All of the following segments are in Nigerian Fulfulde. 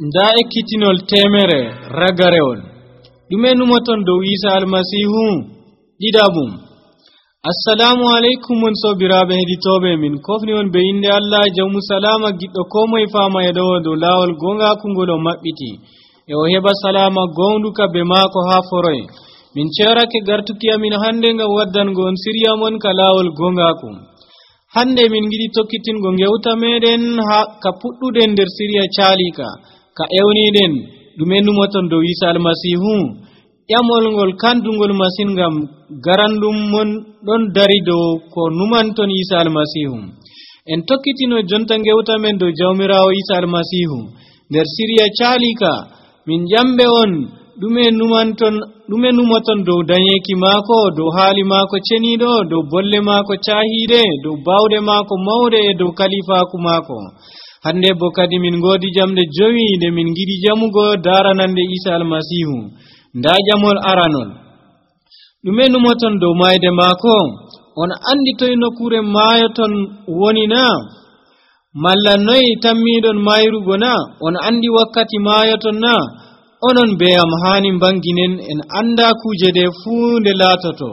nda ekkitinol temere ragarewol ɗume numoton dow Isa almasihu ɗiɗabum. Assalamu alaikum mon sobiraɓe heɗitoɓe min kofni on be inde Allah jawmu salama giɗɗo ko moye fama e ɗo dow lawol gongaku ngol o maɓɓiti e o heɓa salama gonduka be maako ha foroye. min cerake gartuki amin hande ngam waddango on siriya mon ka lawol gongaku. hande min giɗi tokkitingo gewta meɗen ha ka puɗɗuɗen nder siriya calika ka ewniɗen ɗume numoton dow Isa almasihu. ƴamol ngol kandugol masin ngam garandum mon ɗon dari dow ko numanton Isa almasihu. en tokkitino jonta gewta men dow jawmirawo Isa almasihu nder siriya calika. min ƴamɓe on ɗume numoton dow dañeki maako, dow haali maako ceniɗo, dow bolle maako cahiɗe, dow bawɗe maako mawɗe e dow kalifaku maako. hande bo kadi min godi jamɗe 5 nde min giɗi jamugo daranande Isa almasihu. nda jamol aranol ɗume numoton dow mayde maako. on andi toye nokkure maayoton woni na, malla noyi tammiɗon mayrugo na, on andi wakkati maayoton na. onon be am hani banginen en anda kuje ɗe fuu nde laatoto.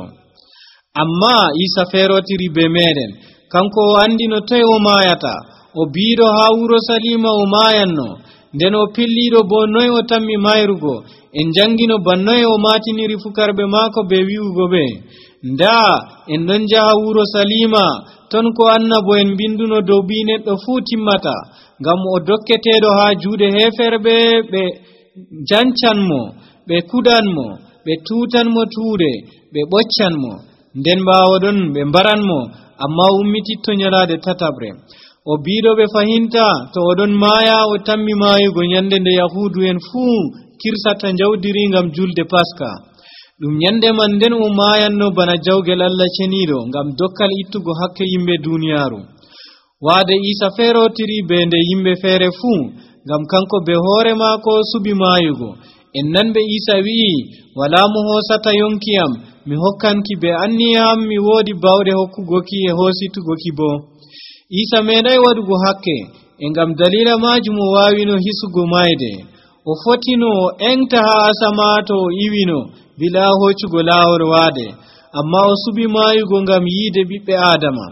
amma Isa ferotiri be meɗen, kanko o andi no toye o mayata. o biiɗo ha wuro Salima o mayanno, nden o pilliɗo bo noye o tammi mayrugo. en jangino bannoye o matiniri fukarɓe maako be wi'ugo ɓe nda en ɗon jaha wuro Salima, ton ko annabo en binduno dow bi neɗɗo fuu timmata, ngam o dokketeɗo ha juuɗe heferɓe. ɓe jancanmo, ɓe kudanmo, ɓe tutanmo tuuɗe, ɓe ɓoccanmo, nden ɓawoɗon ɓe mbaranmo, amma ummititto nyalade tatabre. o biiɗo ɓe fahinta to oɗon maaya o tammi maayugo nyande nde yahudu en fuu kirsata jawdiri ngam julde Paska. ɗum nyande man nden o maayanno bana jawgel Allah ceniɗo ngam dokkal ittugo hakke yimɓe duniyaru. waade Isa ferotiri be nde yimɓe feere fuu, ngam kanko be hoore maako subi maayugo. en nanɓe Isa wi'i, wala mo hoosata yonkiyam, mi hokkanki be anniyam, mi woodi bawɗe hokkugoki e hoositugoki bo. Isa meeɗay waɗugo hakke, e ngam dalila majum o waawino hisugo mayde. o fotino o engta ha asama to o iwino bila hoccugo laawol waade, amma o subi maayugo ngam yiide ɓiɓɓe Adama.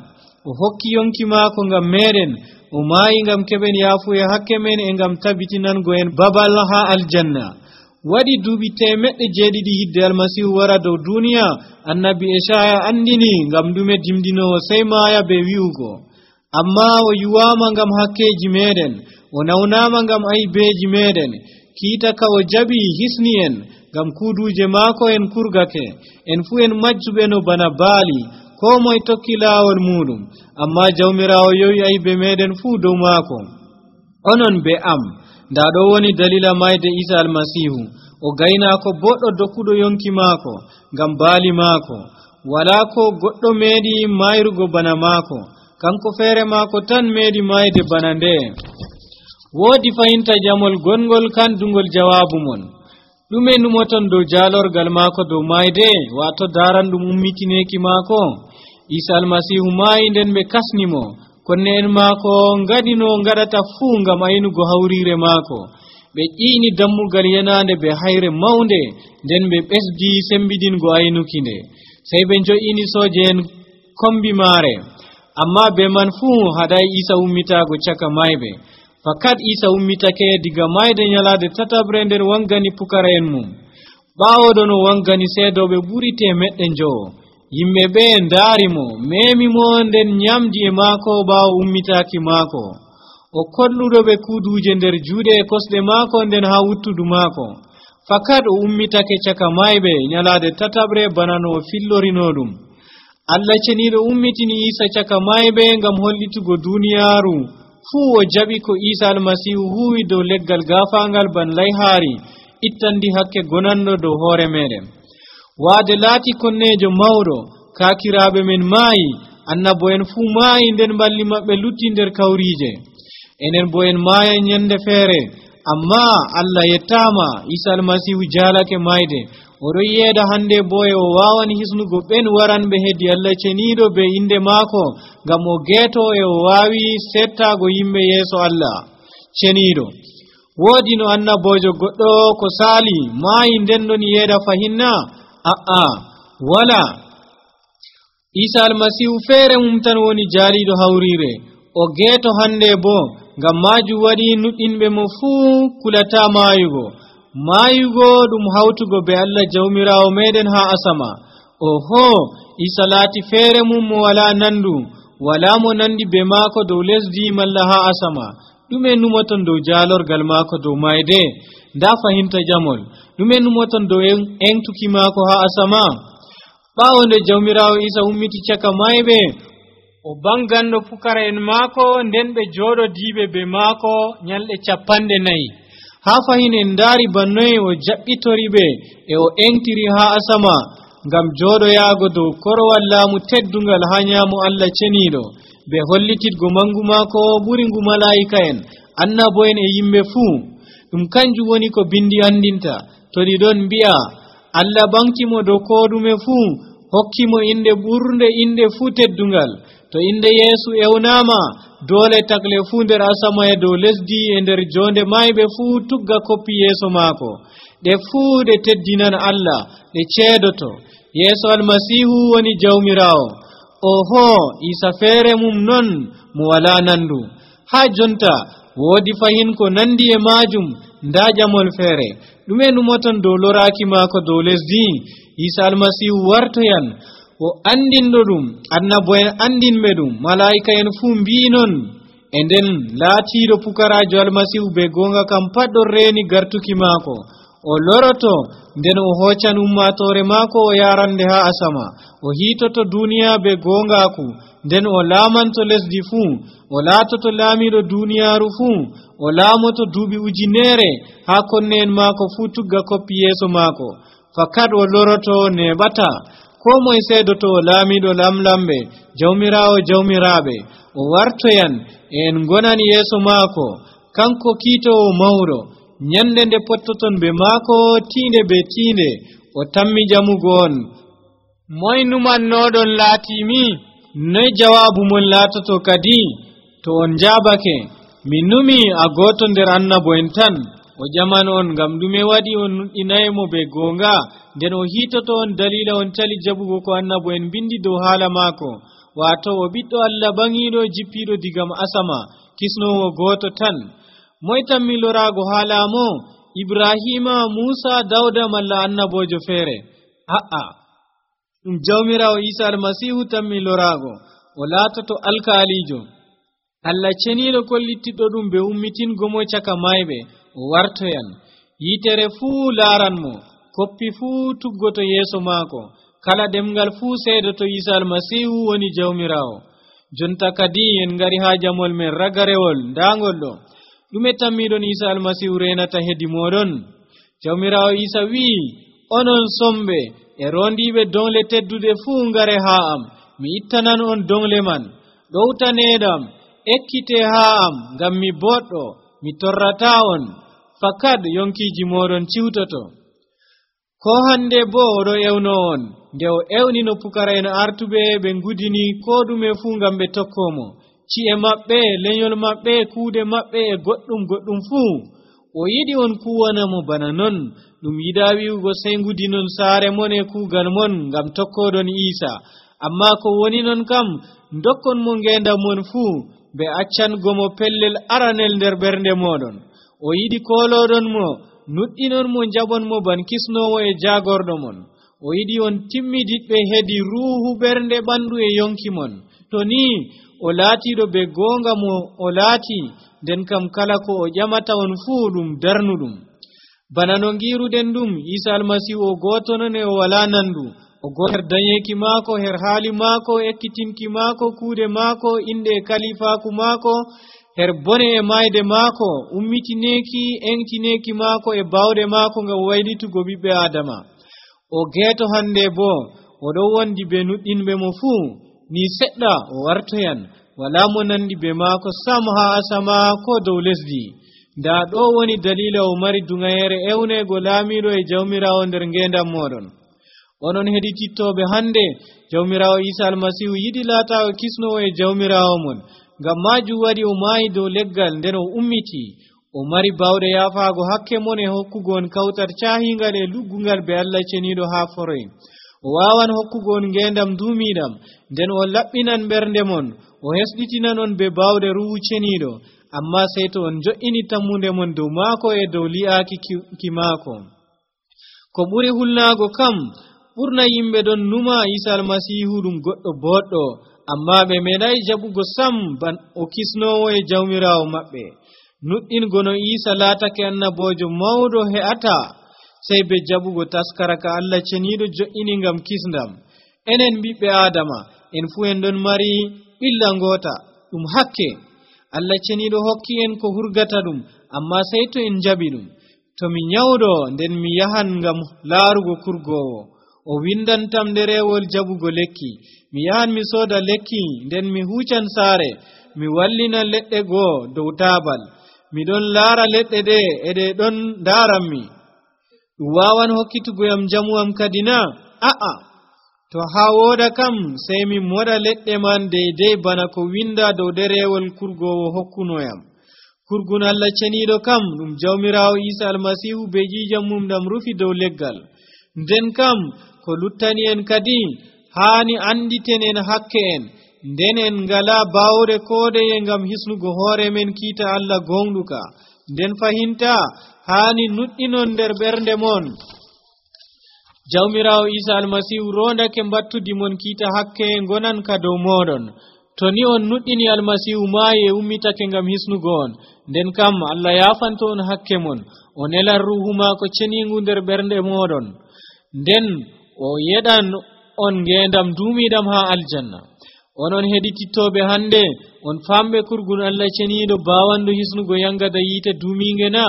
o hokki yonki maako ngam meɗen, o maayi ngam keɓen yaafu e hakke men e ngam tabitinango en babal ha aljanna. waɗi duuɓi 700 hidde almasihu wara dow duniya. annabi Esaya andini ngam ɗume dimdinowo sey maaya be wi'ugo, amma o yuwama ngam hakkeji meɗen, o nawnama ngam aybeji meɗen. kiita ka o jaɓi hisni en, ngam kuuduje maako en kurgake. en fuu en majjuɓe no bana baali, ko moye tokki laawol muɗum, amma jawmirawo yowi aybe meɗen fuu dow maako. onon be am, nda ɗo woni dalila mayde Isa almasihu. o gaynako boɗɗo dokkuɗo yonki maako ngam baali maako. wala ko goɗɗo meeɗi mayrugo bana maako, kanko feere maako tan meeɗi mayde bana nde. woodi fahinta jamol gongol kandugol jawabu mon. ɗume numoton dow jaalorgal maako dow mayde, wato daranɗum ummitineki maako. Isa almasihu maayi nden ɓe kasnimo, konne en maako ngaɗino ngaɗata fuu ngam aynugo hawrire maako. ɓe ƴiini dammugal yenande be hayre mawnde, nden ɓe ɓesdi sembidingo aynuki nde. sey ɓe jo'ini sooje en kombi maare, amma be man fuu haɗay Isa ummitago caka mayɓe. fakat Isa ummitake diga mayde nyalade tatabre nder wangani pukara en mum. ɓaawoɗo no wangani seedoɓe ɓuri 100. yimɓe ɓe ndaarimo, memimo, nden nyamdi e maako ɓaawo ummitaki maako. o kolluɗo ɓe kuuduje nder juuɗe e kosɗe maako, nden ha wuttudu maako. fakat o ummitake caka mayɓe nyalade tatabre bana no o fillorino ɗum. Allah ceniɗo ummitini Isa caka mayɓe ngam hollitugo duniyaru fuu o jaɓi ko Isa almasihu huwi dow leggal gafangal ban layhaari ittandi hakke gonanɗo dow hoore meɗen. waade laati konnejo mawɗo, kaakiraaɓe men maayi, annabo en fuu maayi, nden balli maɓɓe lutti nder kawriije. enen bo en maaya nyande feere, amma Allah yettama, Isa almasihu jaalake mayde. oɗo yeeda hande bo e o waawani hisnugo ɓen waranɓe heddi Allah ceniɗo be inde maako, ngam o geeto e o waawi settago yimɓe yeeso Allah ceniɗo. woodi no annabojo goɗɗo ko saali maayi nden ɗon yeeda fahinna wala Isa almasihu feere mum tan woni jaaliiɗo hawriire o geeto hande bo ngam maajum waɗi nuɗɗinɓe mo fuu kulata maayugo ɗum hawtugo be Allah jawmiraawo meɗen haa asama oho Isa laati feere mum mo wala nandu wala mo nandi be maako dow lesdi malla haa asama ɗume numoton dow jaalorgal maako dow mayde nda fahinta jamol ɗume numoton dow entuki maako haa asama ɓaawo nde jawmiraawo Isa ummiti caka mayɓe o banganɗo pukara'en maako nden ɓe jooɗodiiɓe be maako nyalɗe 40 haa fahin en ndaari bannoye o jaɓɓitori ɓe e o entiri haa asama ngam jooɗoyaago dow korowal laamu teddungal haa nyaamo Allah ceniiɗo be hollititgo mangu maako ɓuri ngu malaa'ika'en annabo'en e yimɓe fuu ɗum kanjum woni ko bindi andinta to ɗi ɗon mbi'a Allah ɓankimo dow ko ɗume fuu hokkimo inde ɓurde inde fuu teddungal to inde Yeesu ewnaama doole takle fuu nder asama e dow lesdi e nder jonde mayɓe fuu tugga koppi yeeso maako ɗe fuu ɗe teddinan Allah ɗe ceedoto Yeesu almasihu woni jawmiraawo oho Isa feere mum non mo wala nandu haa jonta woodi fahin ko nandi e maajum nda jamol feere ɗume numoton dow loraaki maako dow lesdi Isa almasihu wartoyan o andinɗo ɗum annabo'en andinɓe ɗum malaa'ika'en fuu mbii non e nden laatiiɗo pukaraajo almasihu be goonga kam pat ɗon reeni gartuki maako o loroto nden o hoccan ummaatoore maako o yarande haa asama o hiitoto duniya be goongaaku nden o laamanto lesdi fuu o laatoto laamiiɗo duniyaaru fuu o laamoto duuɓi ujunere haa konne'en maako fuu tugga koppi yeeso maako fakat o loroto neɓata ko moye seedoto o laamiiɗo lamlamɓe jawmiraawo jawmiraaɓe o wartoyan en gonani yeeso maako kanko kiitowo mawɗo nyande nde pottoton be maako tiinde be tiinde o tammi jamugo on moy numannoɗon laatimi noy jawaabu mon laatoto kadi to on jaabake min numi a gooto nder annabo'en tan o jaman on ngam ɗume waɗi on nuɗɗinaymo be goonga nden o hiitoto on dalila on tali jaɓugo ko annabo'en bindi dow haala maako waato o ɓiɗɗo Allah ɓaŋiiɗo jippiiɗo digam asama kisnowo gooto tan moy tammi loraago haalaamo Ibrahima Musa Dawda malla annabojo feere ɗum jawmiraawo Isa almasihu tammi loraago o laatoto alkaalijo Allah ceniiɗo kollittiɗɗo ɗum be ummitingo mo caka mayɓe o wartoyan yitere fuu laaranmo koppi fuu tuggoto yeeso maako kala ɗemngal fuu seedoto Isa almasihu woni jawmiraawo jonta kadi en ngari haa jamol men ragarewol ndaangol ɗo ɗume tammiɗon Isa almasihu renata hedi moɗon jawmiraawo Isa wi'i onon somɓe e rondiɓe dongle teddude fuu ngare haa am mi ittanan on dongle man ɗowtaneɗam ekkite haa am ngam mi boɗɗo mi torrata on fakat yonkiji moɗon ciwtoto ko hande bo oɗo ewno on nde o ewnino pukara'en artuɓe ɓe ngudini ko ɗume fuu ngam ɓe tokkomo ci'e maɓɓe lenyol maɓɓe kuuɗe maɓɓe e goɗɗum fuu o yiɗi on kuwanamo bana non ɗum yiɗa wi'ugo sey ngudinon saare mon e kuugal mon ngam tokkoɗon Isa amma ko woni non kam dokkon mo ngendam mon fuu be accangomo pellel aranel nder ɓernde moɗon o yiɗi koloɗon mo nuɗɗinon mo jaɓon mo ban kisnowo e jagorɗo mon o yiɗi on timmidiɓɓe hedi ruuhu ɓernde ɓandu e yonki mon to ni o laatiɗo be goonga mo o laati nden kam kala ko o ƴamata on fuu ɗum darnuɗum bana no ngiruɗen ɗum Isa almasihu o gooto non e o wala nandu o gooto her dañeki maako her haali maako ekkitinki maako kuuɗe maako inde e kalifaaku maako her bone e mayde maako ummitineki entineki maako e bawɗe maako ngam waylitugo ɓiɓɓe adama o geeto hande bo oɗo wondi be nuɗɗinɓe mo fuu ni seɗɗa o wartoyan wala mo nandi be maako sam haa asama ko dow lesdi nda ɗo woni dalila o mari duŋayere ewnego laamiɗo e jawmiraawo nder ngendam moɗon onon heɗitittoɓe hande jawmiraawo Isa almasihu yiɗi laatawo kisnowo e jawmiraawo mon ngam majum waɗi o maayi dow leggal nden o ummiti o mari bawde yafaago hakke mon e hokkugo on kawtar caahingal e luggungal be Allah ceniiɗo haa foroy o waawan hokkugo on ngeendam duumiiɗam nden o laɓɓinan ɓernde mon o hesɗitinan on be bawde ruhu ceniiɗo amma sey to on jo'ini tammunde mon dow maako e dow li'aaki ki maako ko ɓuri hulnaago kam ɓurna yimɓe ɗon numa Isa almasihu ɗum goɗɗo boɗɗo amma ɓe meeɗay jaɓugo sam ban o kisnoowo e jawmiraawo maɓɓe nuɗɗingo no Isa laatake annaboojo mawɗo he'ata sey be jaɓugo taskara ka Allah ceniiɗo jo'ini ngam kisndam enen ɓiɓɓe Aadama en fuu en ɗon mari ɓilla ngoota ɗum hakke Allah ceniiɗo hokki en ko hurgata ɗum amma sey to en jaɓi ɗum to mi nyawɗo nden mi yahan ngam laarugo kurgowo o windantam ɗerewol jaɓugo lekki mi yahan mi sooda lekki nden mi huucan saare mi wallina leɗɗe goo dow taabal miɗon laara leɗɗe ɗe e ɗe ɗon ndaaranmi ɗum waawan hokkitugoyam jamu am kadi na a'a to haa wooda kam sey mi moɗa leɗɗe man deydey bana ko winda dow ɗerewol kurgowo hokkunoyam kurgun Allah ceniiɗo kam ɗum jawmiraawo Isa almasihu be jiijam mum ɗam rufi dow leggal nden kam ko luttani en kadi haani anditen en hakke en nden en ngala baawde koodeye ngam hisnugo hoore men kiita Allah gonɗuka nden fahinta haani nuɗɗinon nder ɓernde mon jawmiraawo Isa almasihu rondake mbattudi mon kiita hakke ngonan ka dow moɗon to ni on nuɗɗini almasihu maayi e ummitake ngam hisnugo on nden kam Allah yaafanto on hakke mon o nelan ruhu maako ceniingu nder ɓernde moɗon nden o yeɗan on ngeendam duumiiɗam haa aljanna onon heɗitittoɓe hannde on famɓe kurgun Allah ceniiɗo baawanɗo hisnugo yangada yiite duumiinge na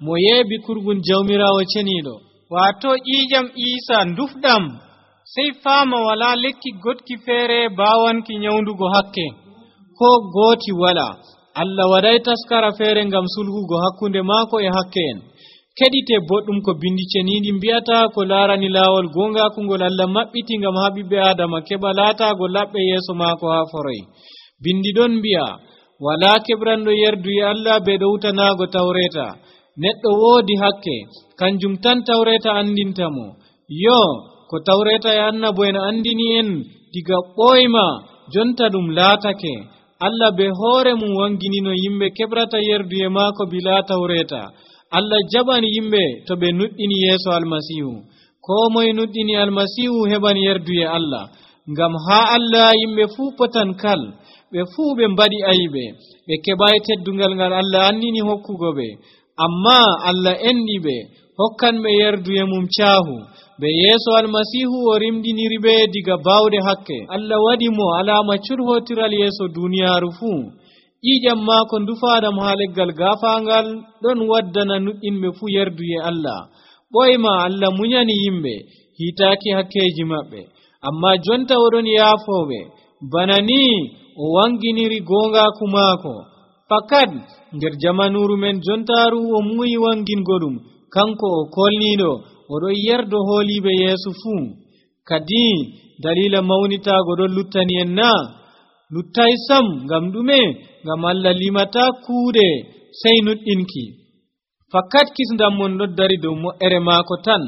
mo yeeɓi kurgun jawmiraawo ceniiɗo waato ƴiiƴam Iisa ndufɗam sey faama walaa lekki gotki feere baawanki nyawndugo hakke ko gooti wala Allah waɗay taskara feere ngam sulhugo hakkunde maako e hakke en keɗite boɗɗum ko bindi ceniiɗi mbi'ata ko laarani laawol gongaku ngol Allah maɓɓiti ngam haa ɓiɓɓe Aadama keɓa laataago laɓɓe yeeso maako haa foroy bindi ɗon mbi'a walaa keɓranɗo yerdu e Allah be ɗowtanaago tawreeta neɗɗo woodi hakke kanjum tan tawreeta andinta mo yo ko tawreeta e annabo en andini en diga ɓoyma jonta ɗum laatake Allah be hoore mum wanginino yimɓe keɓrata yerdu e maako bilaa tawreeta Allah jaɓani yimɓe to ɓe nuɗɗini yeeso almasihu ko moye nuɗɗini almasihu heɓan yerdu e Allah ngam haa Allah yimɓe fuu potan kal ɓe fuu ɓe mbaɗi ayiɓe ɓe keɓayi teddungal ngal Allah andini hokkugo ɓe amma Allah enɗi ɓe hokkan ɓe yerdu e mum caahu ɓe yeeso almasihu o rimɗiniri ɓe diga baawde hakke Allah waɗi mo alaama curhotiral yeeso duniyaaru fuu ƴiiƴam maako ndufaaɗam haa leggal gaafaangal ɗon waddana nuɗɗinɓe fuu yerdu e Allah ɓoyma Allah muñani yimɓe hiitaaki hakkeeji maɓɓe amma jonta oɗon yaafooɓe bana ni o wanginiri goongaaku maako fakat nder jamanuuru men jontaaru o muuyi wangingo ɗum kanko o kolniiɗo oɗon yerdo hooliiɓe yeeso fuu kadi dalila mawnitaago ɗon luttani en na luttay sam ngam ɗume ngam Allah limata kuuɗe sey nuɗɗinki fakat kisndam mon ɗon dari dow moƴƴere maako tan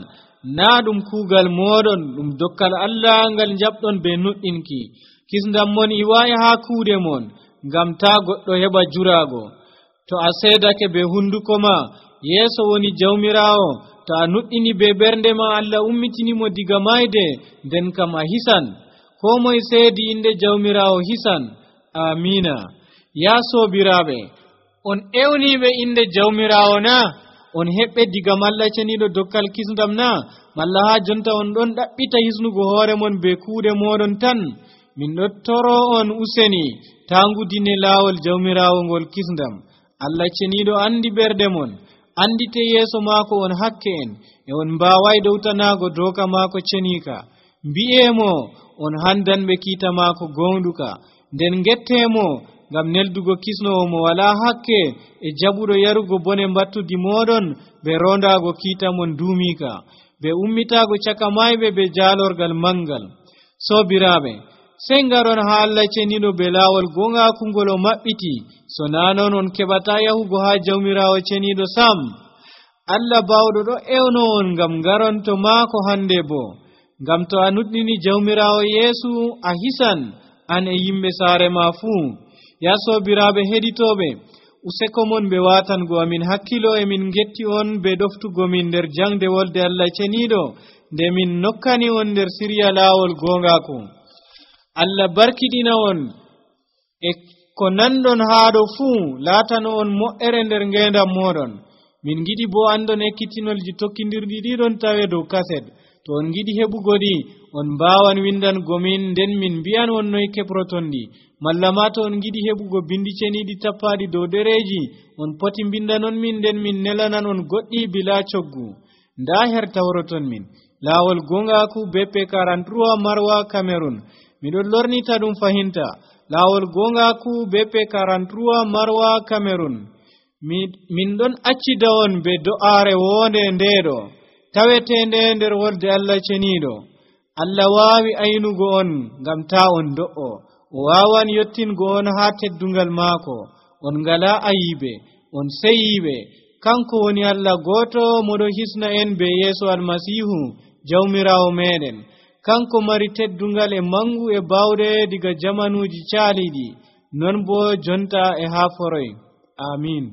naa ɗum kuugal mooɗon ɗum dokkal Allah ngal jaɓɗon be nuɗɗinki kisndam mon iwaayi haa kuuɗe mon ngam taa goɗɗo heɓa juraago to a seedake be hunduko ma yeeso woni jawmiraawo to a nuɗɗini be ɓernde ma Allah ummitinimo diga mayde nden kam a hisan ko moye seedi inde jawmiraawo hisan amina yaa soobiraaɓe on ewniiɓe inde jawmiraawo na on heɓɓe diga malla ceniiɗo dokkal kisndam na malla haa jonta on ɗon ɗaɓɓita hisnugo hoore mon be kuuɗe mooɗon tan min ɗon toro on useni taangudine laawol jawmiraawo ngol kisndam Allah ceniiɗo andi ɓerɗe mon andite yeeso maako on hakke en e on mbaaway ɗowtanaago dooka maako ceniika mbi'eemo on handanɓe kiita maako gonɗuka nden ngetteemo ngam neldugo kisnowo mo walaa hakke e jaɓuɗo yarugo bone mbattudi mooɗon ɓe rondaago kiita mon duumiika ɓe ummitaago caka mayɓe be jaalorgal mangal soobiraaɓe sey ngaron ha Allah ceniɗo be laawol gongaku ngol o maɓɓiti, so na non on keɓata yahugo ha jawmirawo ceniɗo sam. Allah bawɗo ɗo ewno on ngam ngaron to maako hande bo, ngam to a nuɗɗini jawmirawo Yeesu a hisan an e yimɓe saare ma fuu. Ya sobiraɓe heɗitoɓe, useko mon ɓe watango amin hakkilo e min getti on be ɗoftugo min nder jangde wolde Allah ceniɗo nde min nokkani on nder sirya laawol gongaku. Allah barkiɗina on e ko nanɗon haɗo fuu, laatano on mo'ere nder ngendam moɗon. Min giɗi bo andon ekkitinolji tokkidirɗi ɗiɗon tawe dow kaset. To on giɗi heɓugo ɗi, on mbawan windango min nden min mbiyan on noy keɓroton ɗi. Malla ma to on giɗi heɓugo bindi ceniɗi tappaɗi dow ɗereji, on poti mbindanon min nden min nelanan on goɗɗi bila coggu. Nda her tawroton min laawol gongaku BP 43 Marwa Cameroon. Miɗon lornita ɗum fahinta laawol gongaku BP 43 Marwa Cameroon. Min ɗon accida on be do'are wonde ndeɗo tawetende nder wolde Allah ceniɗo. Allah waawi aynugo on ngam ta on do'o. O wawan yottingo on ha teddungal maako. On ngala ayibe, on seyiɓe. Kanko woni Allah goto moɗo hisna en be Yeesu Almasihu jawmirawo meɗen. Kanko mari teddungal e mangu e bawɗe diga jamanuji caaliɗi, non bo jonta e ha foroy. Amin.